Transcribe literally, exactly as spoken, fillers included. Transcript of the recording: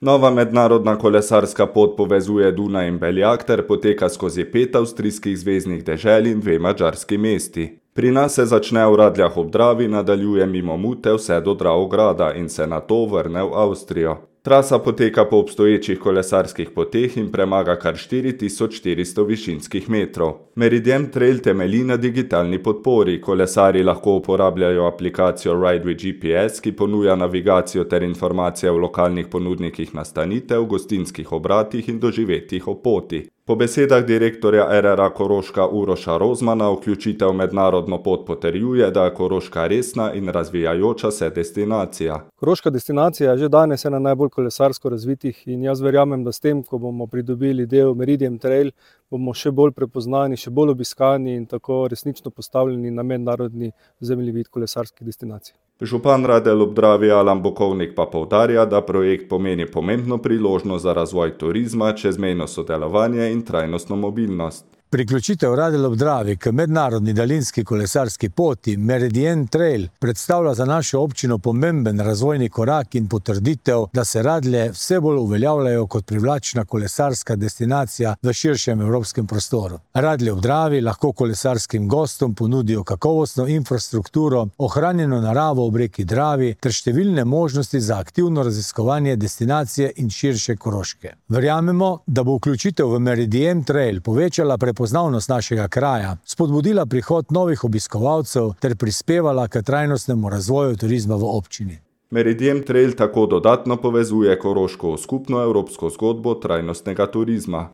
Nova mednarodna kolesarska pot povezuje Dunaj in Beljak ter poteka skozi pet avstrijskih zveznih dežel in dve madžarski mesti. Pri nas se začne v Radljah ob Dravi, nadaljuje mimo Mute vse do Dravograda in se nato vrne v Avstrijo. Trasa poteka po obstoječih kolesarskih poteh in premaga kar štiri tisoč štiristo višinskih metrov. Meridiem Trail temelji na digitalni podpori. Kolesarji lahko uporabljajo aplikacijo Ride with G P S, ki ponuja navigacijo ter informacije o lokalnih ponudnikih nastanitev, gostinskih obratih in doživetjih o poti. Po besedah direktorja R R A Koroška Uroša Rozmana vključitev v mednarodno pot potrjuje, da je Koroška resna in razvijajoča se destinacija. Koroška destinacija je že danes ena najbolj kolesarsko razvitih in jaz verjamem, da s tem, ko bomo pridobili del Meridiem Trail, bomo še bolj prepoznani, še bolj obiskani in tako resnično postavljeni na mednarodni zemljevid kolesarskih destinacij. Župan Radelj ob Dravi Alan Bokovnik pa poudarja, da projekt pomeni pomembno priložnost za razvoj turizma, čezmejno sodelovanje in trajnostno mobilnost. Priključitev Radelj ob Dravi k mednarodni daljinski kolesarski poti Meridiem Trail predstavlja za našo občino pomemben razvojni korak in potrditev, da se Radlje vse bolj uveljavljajo kot privlačna kolesarska destinacija v širšem evropskem prostoru. Radlje ob Dravi lahko kolesarskim gostom ponudijo kakovostno infrastrukturo, ohranjeno naravo ob reki Dravi ter številne možnosti za aktivno raziskovanje destinacije in širše Koroške. Verjamemo, da bo vključitev v Meridiem Trail povečala prepoznavnost poznavnost našega kraja, spodbudila prihod novih obiskovalcev ter prispevala k trajnostnemu razvoju turizma v občini. Meridiem Trail tako dodatno povezuje Koroško v skupno evropsko zgodbo trajnostnega turizma.